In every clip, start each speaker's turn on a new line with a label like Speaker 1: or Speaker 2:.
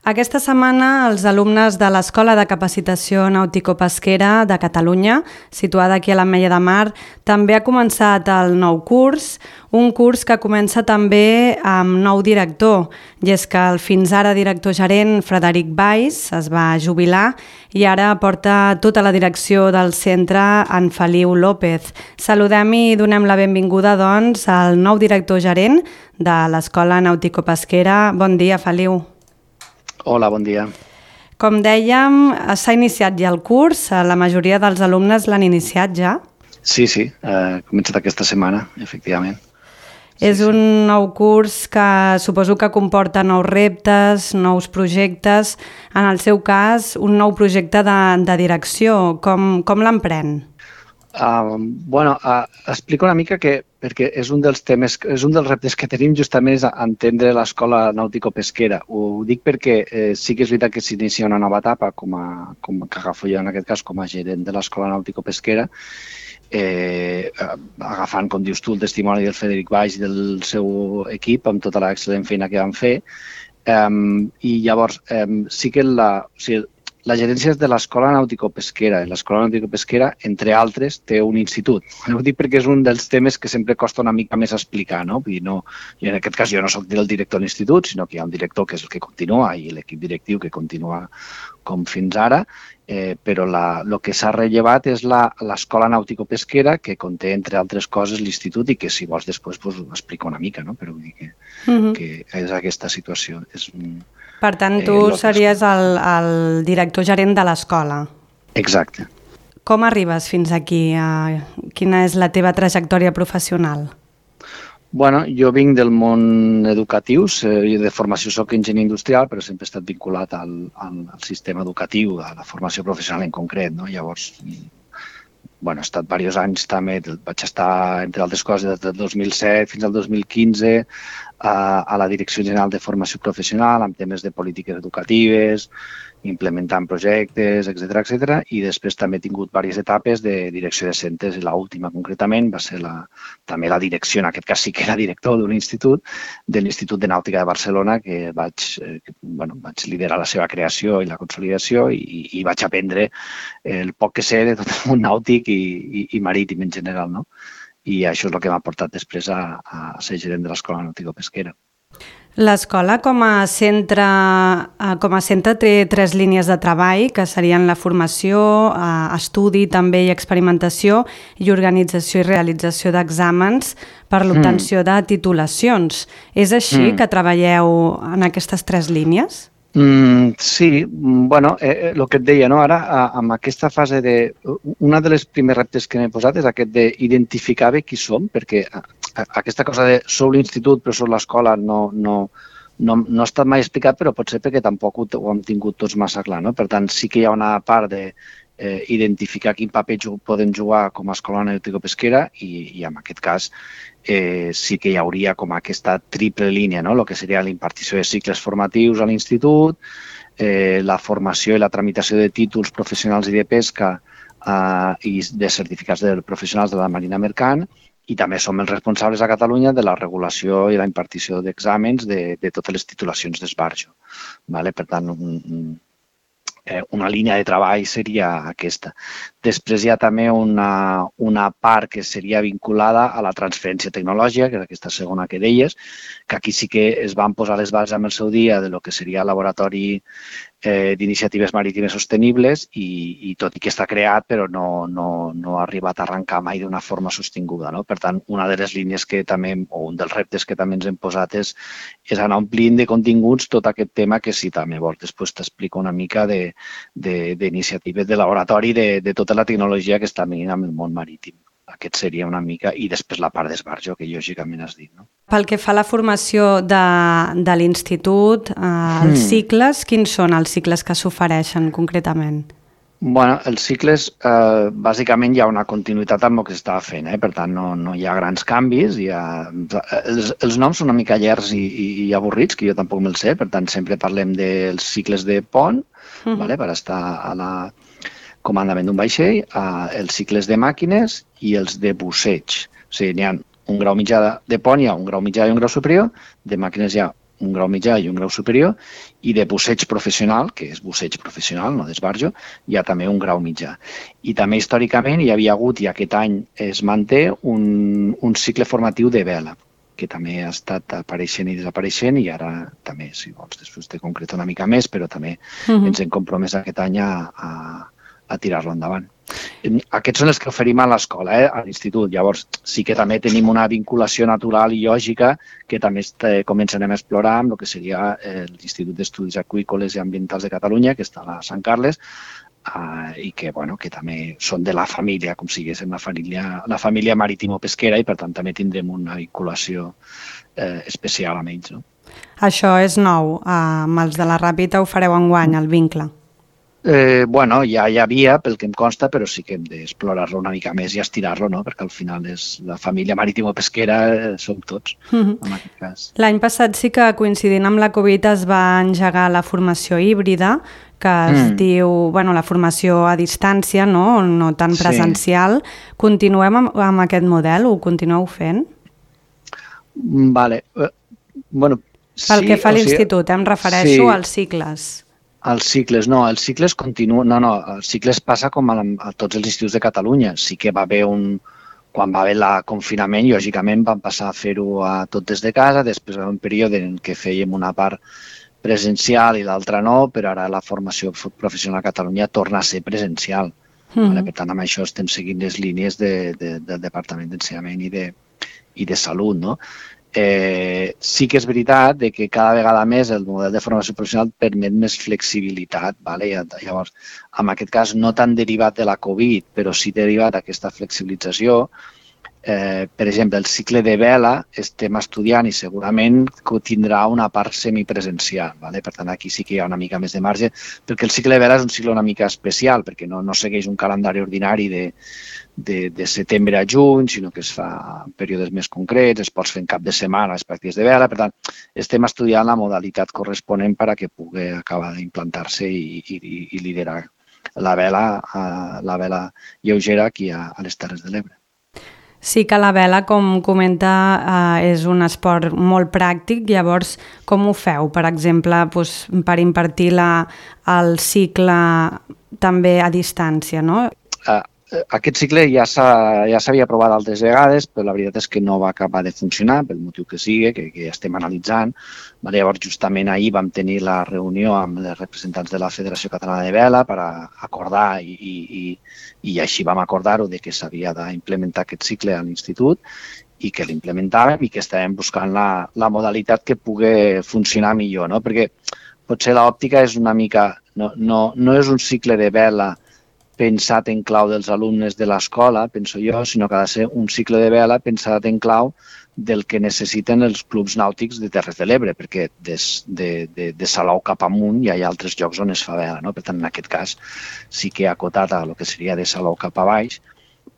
Speaker 1: Aquesta setmana els alumnes de l'Escola de Capacitació Nàutico-Pesquera de Catalunya, situada aquí a l'Ametlla de Mar, també ha començat el nou curs, un curs que comença també amb nou director, i és que el fins ara director gerent Frederic Valls es va jubilar i ara porta tota la direcció del centre en Feliu López. Saludem i donem la benvinguda doncs al nou director gerent de l'Escola Nàutico-Pesquera. Bon dia, Feliu.
Speaker 2: Hola, bon dia.
Speaker 1: Com dèiem, s'ha iniciat ja el curs, la majoria dels alumnes l'han iniciat ja?
Speaker 2: Sí, ha començat aquesta setmana, efectivament.
Speaker 1: És un nou curs que suposo que comporta nous reptes, nous projectes. En el seu cas, un nou projecte de direcció. Com l'emprèn?
Speaker 2: Explico una mica perquè és un dels temes, és un dels reptes que tenim justament és entendre l'escola nàutico-pesquera. Ho dic perquè sí que és veritat que s'inicia una nova etapa, com que agafo jo en aquest cas com a gerent de l'escola nàutico-pesquera, agafant, com dius tu, el testimoni del Frederic Valls i del seu equip amb tota l'excel·lent feina que van fer. I llavors sí que la gerència és de l'Escola Nàutico-Pesquera. L'Escola Nàutico-Pesquera, entre altres, té un institut. Ho dic perquè és un dels temes que sempre costa una mica més explicar, no? I en aquest cas jo no soc el director de l'institut, sinó que hi ha un director que és el que continua i l'equip directiu que continua com fins ara, però el que s'ha rellevat és l'Escola Nàutico-Pesquera, que conté, entre altres coses, l'institut i que, si vols, després ho explico una mica, no? Però vull dir que és aquesta situació.
Speaker 1: Per tant, tu series el director gerent de l'escola.
Speaker 2: Exacte.
Speaker 1: Com arribes fins aquí? Quina és la teva trajectòria professional?
Speaker 2: Jo vinc del món educatiu, de formació soc enginyer industrial, però sempre he estat vinculat al sistema educatiu, a la formació professional en concret. Llavors, he estat diversos anys també, vaig estar, entre altres coses, des del 2007 fins al 2015 a la Direcció General de Formació Professional amb temes de polítiques educatives, implementant projectes, etc. I després també he tingut diverses etapes de direcció de centres i l'última concretament va ser també la direcció, en aquest cas sí que era director d'un institut, de l'Institut de Nàutica de Barcelona, que vaig liderar la seva creació i la consolidació i vaig aprendre el poc que sé de tot el món nàutic i marítim en general, no? I això és el que m'ha portat després a ser gerent de l'Escola Nàutico-Pesquera.
Speaker 1: L'escola com a centre té 3 línies de treball, que serien la formació, estudi també i experimentació i organització i realització d'exàmens per l'obtenció de titulacions. És així que treballeu en aquestes 3 línies?
Speaker 2: Sí, el que et deia, ara amb aquesta fase una de les primers reptes que m'he posat és aquest d'identificar bé qui som, perquè aquesta cosa de sou l'institut però sou l'escola no ha estat mai explicat, però potser perquè tampoc ho hem tingut tots massa clar, no? Per tant, sí que hi ha una part d'identificar quin paper podem jugar com a escola nàutico-pesquera i en aquest cas sí que hi hauria com aquesta triple línia, no? El que seria l'impartició de cicles formatius a l'institut, la formació i la tramitació de títols professionals i de pesca i de certificats de professionals de la marina mercant, i també som els responsables a Catalunya de la regulació i la impartició d'exàmens de totes les titulacions d'esbarjo. Per tant, una línia de treball seria aquesta. Després hi ha també una part que seria vinculada a la transferència tecnològica, que és aquesta segona que deies, que aquí sí que es van posar les bases en el seu dia de lo que seria el laboratori d'iniciatives marítimes sostenibles i tot i que està creat però no ha arribat a arrencar mai d'una forma sostinguda. Per tant, una de les línies que també, o un dels reptes que també ens hem posat és anar omplint de continguts tot aquest tema que si també vols després t'explico una mica d'iniciatives de laboratori de tota la tecnologia que està venint amb el món marítim. Aquest seria una mica, i després la part d'esbarjo, que lògicament has dit, no?
Speaker 1: Pel que fa a la formació de l'institut, els cicles, quins són els cicles que s'ofereixen concretament?
Speaker 2: Els cicles, bàsicament hi ha una continuïtat amb el que s'estava fent, per tant no hi ha grans canvis. Els noms són una mica llargs i avorrits, que jo tampoc me'ls sé, per tant sempre parlem dels cicles de pont, per estar a la comandament d'un vaixell, els cicles de màquines i els de busseig. O sigui, n'hi ha un grau mitjà de pont, hi ha un grau mitjà i un grau superior, de màquines hi ha un grau mitjà i un grau superior, i de busseig professional, que és busseig professional, no d'esbarjo, hi ha també un grau mitjà. I també històricament hi havia hagut, i aquest any es manté, un cicle formatiu de vela, que també ha estat apareixent i desapareixent, i ara també, si vols, després te concreto una mica més, però també ens hem compromès aquest any a tirar-lo endavant. Aquests són els que oferim a l'escola, a l'institut. Llavors, sí que també tenim una vinculació natural i lògica que també començarem a explorar amb el que seria l'Institut d'Estudis Aqüícoles i Ambientals de Catalunya, que està a Sant Carles, i que també són de la família, com si diguéssim la família marítimo-pesquera, i per tant també tindrem una vinculació especial amb ells.
Speaker 1: Això és nou. Amb els de la Ràpita ho fareu enguany, el vincle.
Speaker 2: Ja hi havia, pel que em consta, però sí que hem d'explorar-lo una mica més i estirar-lo, no? Perquè al final és la família marítimo-pesquera, som tots, en aquest cas.
Speaker 1: L'any passat sí que, coincidint amb la Covid, es va engegar la formació híbrida, que es diu, la formació a distància, no tan presencial. Sí. Continuem amb aquest model? Ho continueu fent?
Speaker 2: Vale.
Speaker 1: Pel que fa a l'institut, em refereixo als cicles.
Speaker 2: Els cicles, no, els cicles continuen, els cicles passa com a tots els instituts de Catalunya. Sí que va haver quan va haver el confinament, lògicament vam passar a fer-ho tot des de casa, després va haver un període en què fèiem una part presencial i l'altra no, però ara la formació professional a Catalunya torna a ser presencial. Per tant, amb això estem seguint les línies del Departament d'Ensenyament i de Salut, no? Sí que és veritat que cada vegada més el model de formació professional permet més flexibilitat. Llavors, en aquest cas, no tan derivat de la Covid, però sí derivat d'aquesta flexibilització. Per exemple, el cicle de vela estem estudiant i segurament tindrà una part semipresencial. Per tant, aquí sí que hi ha una mica més de marge, perquè el cicle de vela és un cicle una mica especial, perquè no segueix un calendari ordinari de setembre a juny, sinó que es fa en períodes més concrets, es pot fer en cap de setmana les pràctiques de vela. Per tant, estem estudiant la modalitat corresponent perquè pugui acabar d'implantar-se i liderar la vela lleugera aquí a les Terres de l'Ebre.
Speaker 1: Sí que la vela, com comenta, és un esport molt pràctic. Llavors, com ho feu? Per exemple, per impartir el cicle també a distància, no?
Speaker 2: Aquest cicle ja s'havia provat altres vegades, però la veritat és que no va acabar de funcionar, pel motiu que sigui, que ja estem analitzant. Llavors, justament ahir vam tenir la reunió amb els representants de la Federació Catalana de Vela per acordar, i així vam acordar-ho, que s'havia d'implementar aquest cicle a l'institut i que l'implementàvem i que estàvem buscant la modalitat que pugui funcionar millor, no? Perquè potser l'òptica és una mica... No és un cicle de vela pensat en clau dels alumnes de l'escola, penso jo, sinó que ha de ser un cicle de vela pensat en clau del que necessiten els clubs nàutics de Terres de l'Ebre, perquè de Salou cap amunt ja hi ha altres llocs on es fa vela, no? Per tant, en aquest cas, sí que acotat a el que seria de Salou cap a baix,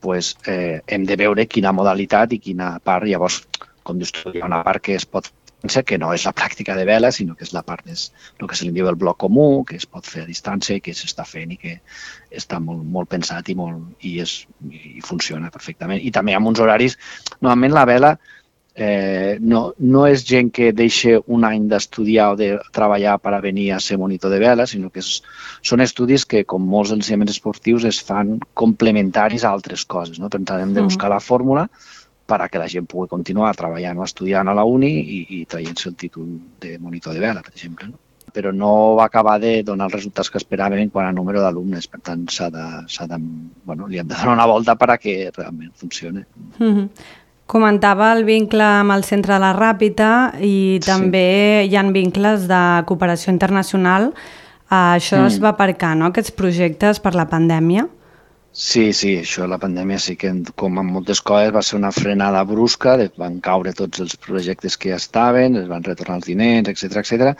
Speaker 2: hem de veure quina modalitat i quina part. Llavors, com dius tu, hi ha una part que es pot que no és la pràctica de vela, sinó que és la part el que se li diu el bloc comú, que es pot fer a distància i que s'està fent i que està molt pensat i funciona perfectament. I també amb uns horaris... Normalment la vela no és gent que deixa un any d'estudiar o de treballar per a venir a ser monitor de vela, sinó que són estudis que, com molts ensenyaments esportius, es fan complementaris a altres coses. Per tant, hem de buscar la fórmula perquè la gent pugui continuar treballant o estudiant a la uni i traient-se el títol de monitor de vela, per exemple. Però no va acabar de donar els resultats que esperàvem quant a número d'alumnes. Per tant, li hem de donar una volta perquè realment funcioni.
Speaker 1: Comentava el vincle amb el Centre de la Ràpita i també hi ha vincles de cooperació internacional. Això es va aparcar, no?, aquests projectes per la pandèmia?
Speaker 2: Sí, això, la pandèmia sí que, com en moltes coses, va ser una frenada brusca, van caure tots els projectes que ja estaven, es van retornar els diners, etc.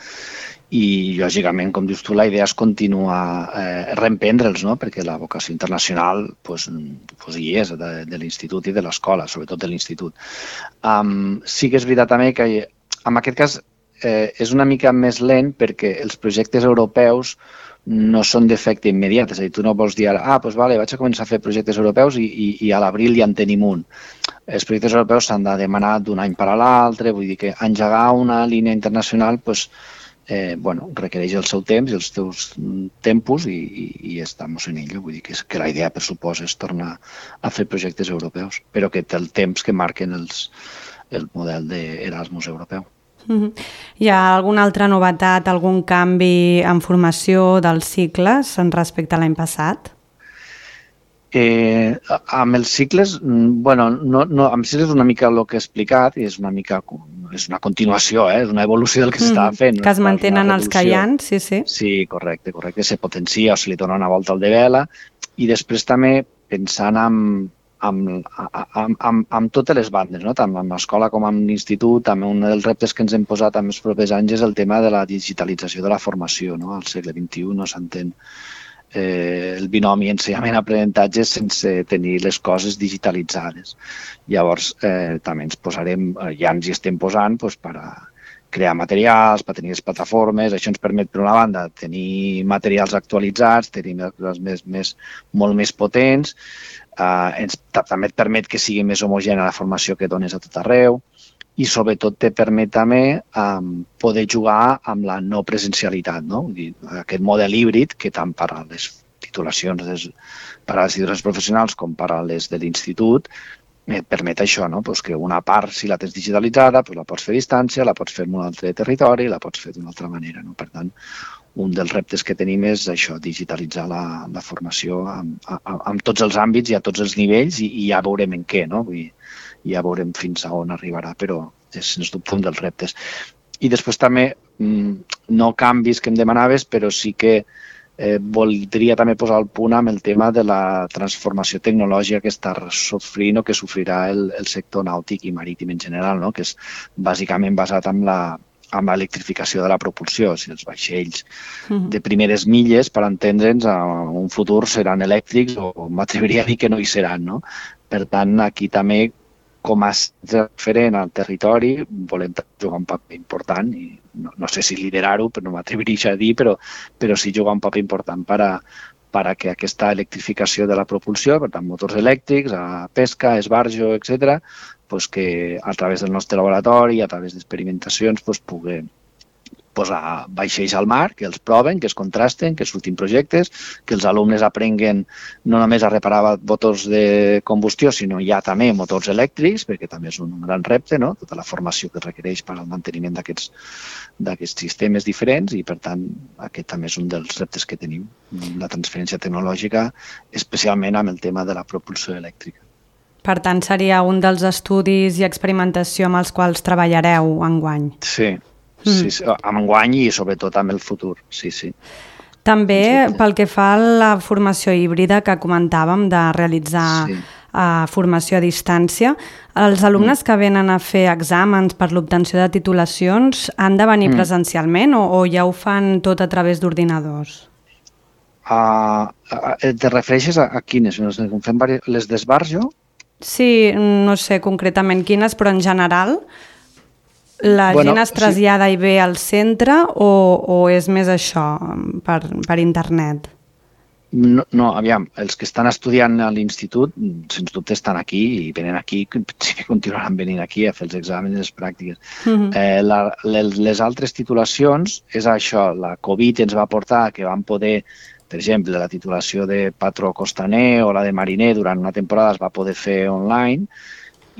Speaker 2: I, lògicament, com dius tu, la idea és continuar reemprendre'ls, no? Perquè la vocació internacional hi és, de l'institut i de l'escola, sobretot de l'institut. Sí que és veritat també que, en aquest cas, és una mica més lent perquè els projectes europeus no són d'efecte immediat, és a dir, tu no vols dir ara, doncs vale, vaig a començar a fer projectes europeus i a l'abril ja en tenim un. Els projectes europeus s'han de demanar d'un any per a l'altre, vull dir que engegar una línia internacional requereix el seu temps i els teus tempos i estamos en ello. Vull dir que la idea, per supost, és tornar a fer projectes europeus, però que té el temps que marquen el model d'Erasmus europeu.
Speaker 1: Hi ha alguna altra novetat, algun canvi en formació dels cicles respecte a l'any passat?
Speaker 2: Amb els cicles, amb els cicles és una mica el que he explicat i és una continuació, és una evolució del que s'estava fent.
Speaker 1: Que es mantenen els que hi ha, sí.
Speaker 2: Sí, correcte, se potencia o se li dona una volta al de vela i després també pensant amb totes les bandes, no? Tant amb l'escola com amb l'institut, també un dels reptes que ens hem posat en els propers anys és el tema de la digitalització de la formació, no? Al segle XXI no s'entén el binomi ensenyament-aprenentatge sense tenir les coses digitalitzades. Llavors, també ens posarem, ja ens hi estem posant, per a crear materials, per tenir les plataformes. Això ens permet, per una banda, tenir materials actualitzats, tenir molt més potents, també et permet que sigui més homogènia la formació que dones a tot arreu i sobretot te permet també poder jugar amb la no presencialitat, no? Aquest model híbrid que tant per a les titulacions professionals com per a les de l'institut et permet això, no? Que una part, si la tens digitalitzada, la pots fer a distància, la pots fer en un altre territori, la pots fer d'una altra manera. Per tant, un dels reptes que tenim és això, digitalitzar la formació en tots els àmbits i a tots els nivells i ja veurem en què, no? Ja veurem fins a on arribarà, però és sens dubte un dels reptes. I després també, no canvis que em demanaves, però sí que voldria també posar el punt amb el tema de la transformació tecnològica que està sofrint o que sofrirà el sector nàutic i marítim en general, no? Que és bàsicament basat en l'electrificació de la propulsió. O sigui, els vaixells de primeres milles, per entendre'ns, en un futur seran elèctrics o m'atreviria a dir que no hi seran, no? Per tant, aquí també, com a referent al territori, volem jugar un paper important i no sé si liderar-ho, però no m'atreviria a dir, però sí jugar un paper important per a que aquesta electrificació de la propulsió, per tant, motors elèctrics, a pesca, esbarjo, etc., que a través del nostre laboratori, a través d'experimentacions, pugui posar vaixells al mar, que els proven, que es contrasten, que surtin projectes, que els alumnes aprenguen no només a reparar motors de combustió, sinó ja també motors elèctrics, perquè també és un gran repte, no? Tota la formació que es requereix per al manteniment d'aquests sistemes diferents i, per tant, aquest també és un dels reptes que tenim, la transferència tecnològica, especialment amb el tema de la propulsió elèctrica.
Speaker 1: Per tant, seria un dels estudis i experimentació amb els quals treballareu enguany.
Speaker 2: Sí, amb enguany i sobretot amb el futur, sí.
Speaker 1: També pel que fa a la formació híbrida que comentàvem de realitzar formació a distància, els alumnes que venen a fer exàmens per l'obtenció de titulacions han de venir presencialment o ja ho fan tot a través d'ordinadors?
Speaker 2: Te refereixes a quines? Les d'esbarjo?
Speaker 1: Sí, no sé concretament quines, però en general la gent es trasllada i ve al centre o és més això per internet?
Speaker 2: No, aviam, els que estan estudiant a l'institut, sens dubte estan aquí i venen aquí, continuaran venint aquí a fer els exàmens i les pràctiques. Les altres titulacions és això, la Covid ens va portar que vam poder, per exemple, la titulació de patró costaner o la de mariner durant una temporada es va poder fer online,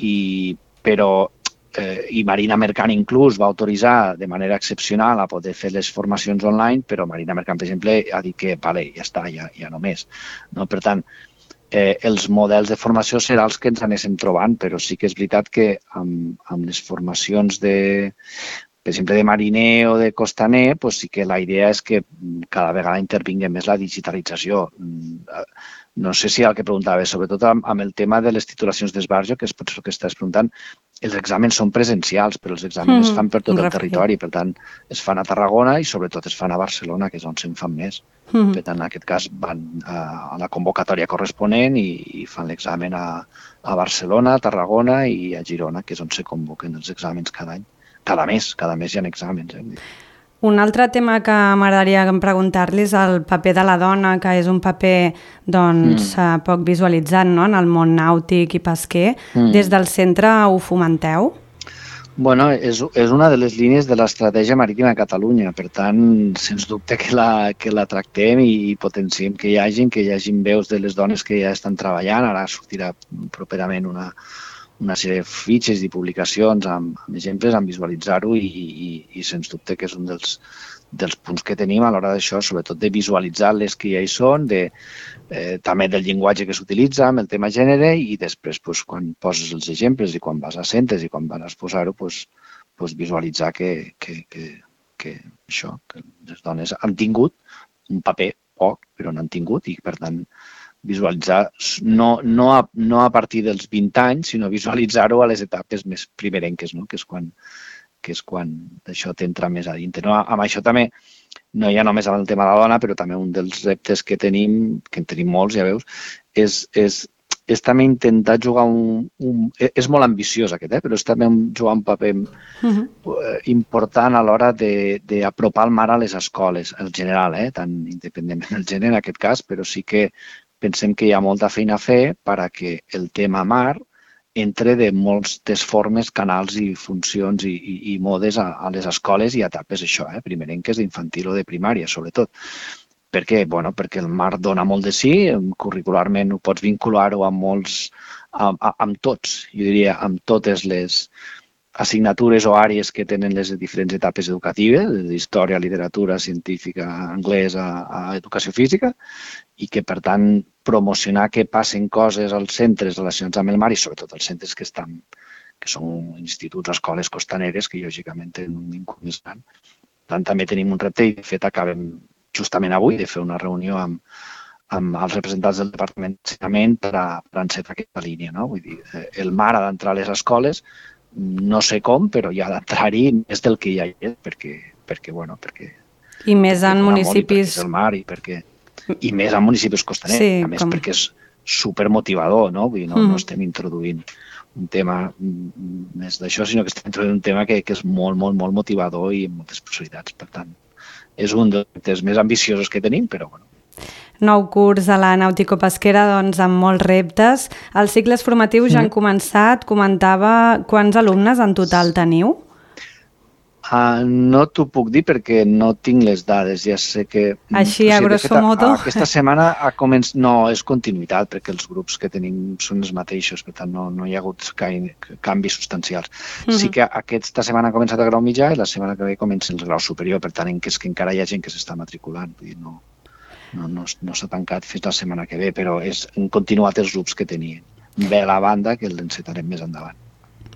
Speaker 2: i Marina Mercant inclús va autoritzar de manera excepcional a poder fer les formacions online, però Marina Mercant, per exemple, ha dit que vale, ja està, ja no més. Per tant, els models de formació seran els que ens anéssim trobant, però sí que és veritat que amb les formacions per exemple, de mariner o de costaner, sí que la idea és que cada vegada intervingui més la digitalització. No sé si el que preguntaves, sobretot amb el tema de les titulacions d'esbarjo, que és potser el que estàs preguntant, els exàmens són presencials, però els exàmens es fan per tot el territori, per tant, es fan a Tarragona i sobretot es fan a Barcelona, que és on se'n fan més. Per tant, en aquest cas van a la convocatòria corresponent i fan l'examen a Barcelona, a Tarragona i a Girona, que és on se convoquen els exàmens cada any. cada mes hi ha exàmens.
Speaker 1: Un altre tema que m'agradaria preguntar-li és el paper de la dona, que és un paper poc visualitzat, no?, en el món nàutic i pesquer. Des del centre ho fomenteu?
Speaker 2: Bueno, és una de les línies de l'estratègia marítima de Catalunya, per tant, sens dubte que la tractem i potenciem que hi hagin veus de les dones que ja estan treballant. Ara sortirà properament una sèrie de fitxes i publicacions amb exemples, amb visualitzar-ho i sens dubte que és un dels punts que tenim a l'hora d'això, sobretot de visualitzar les que ja hi són, també del llenguatge que s'utilitza amb el tema gènere i després quan poses els exemples i quan vas a centres i quan vas a exposar-ho, visualitzar que les dones han tingut un paper poc, però n'han tingut i per tant visualitzar no a partir dels 20 anys, sinó visualitzar-ho a les etapes més primerenques, no? que és quan això t'entra més a dintre. No? Amb això també, no hi ha només amb el tema de la dona, però també un dels reptes que en tenim molts, ja veus, és també intentar jugar és molt ambiciós aquest, però és també jugar un paper important a l'hora d'apropar el mar a les escoles, en general, tant independentment del gènere en aquest cas, però sí que pensem que hi ha molta feina a fer perquè el tema mar entre de moltes formes, canals i funcions i modes a les escoles i etapes això, primerenques d'infantil o de primària, sobretot. Per què? Perquè el mar dona molt de sí, curricularment ho pots vincular-ho amb tots, jo diria, amb totes les assignatures o àrees que tenen les diferents etapes educatives, d'història, literatura, científica, anglès a educació física, i que, per tant, promocionar que passen coses als centres relacionats amb el mar i sobretot als centres que són instituts, escoles costaneres, que lògicament tenen un vincle més gran. Per tant, també tenim un repte i, de fet, acabem justament avui de fer una reunió amb els representants del Departament d'Ensenyament per encetar aquesta línia. Vull dir, el mar ha d'entrar a les escoles, no sé com, però hi ha d'entrar-hi més del que ja hi és, perquè
Speaker 1: i més en municipis...
Speaker 2: el mar i més en municipis costaners, sí, a més perquè és supermotivador, no? Vull dir, no estem introduint un tema més d'això, sinó que estem introduint un tema que és molt, molt, molt motivador i amb moltes possibilitats. Per tant, és un dels més ambiciosos que tenim, però bueno.
Speaker 1: Nou curs a la Nàutico-Pesquera, doncs, amb molts reptes. Els cicles formatius ja han començat. Comentava quants alumnes en total teniu?
Speaker 2: No t'ho puc dir perquè no tinc les dades. Ja sé que...
Speaker 1: Així, a grosso modo?
Speaker 2: Aquesta setmana no, és continuïtat, perquè els grups que tenim són els mateixos, per tant no hi ha hagut canvis substancials. Sí que aquesta setmana ha començat el grau mitjà i la setmana que ve comencen el grau superior, per tant, és que encara hi ha gent que s'està matriculant. Vull dir, no s'ha tancat fins la setmana que ve, però han continuat els grups que tenien. Ve a la banda que l'encetarem més endavant.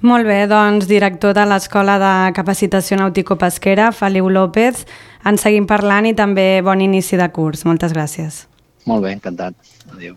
Speaker 1: Molt bé, doncs, director de l'Escola de Capacitació Nàutico-Pesquera, Feliu López, en seguim parlant i també bon inici de curs. Moltes gràcies.
Speaker 2: Molt bé, encantat. Adéu.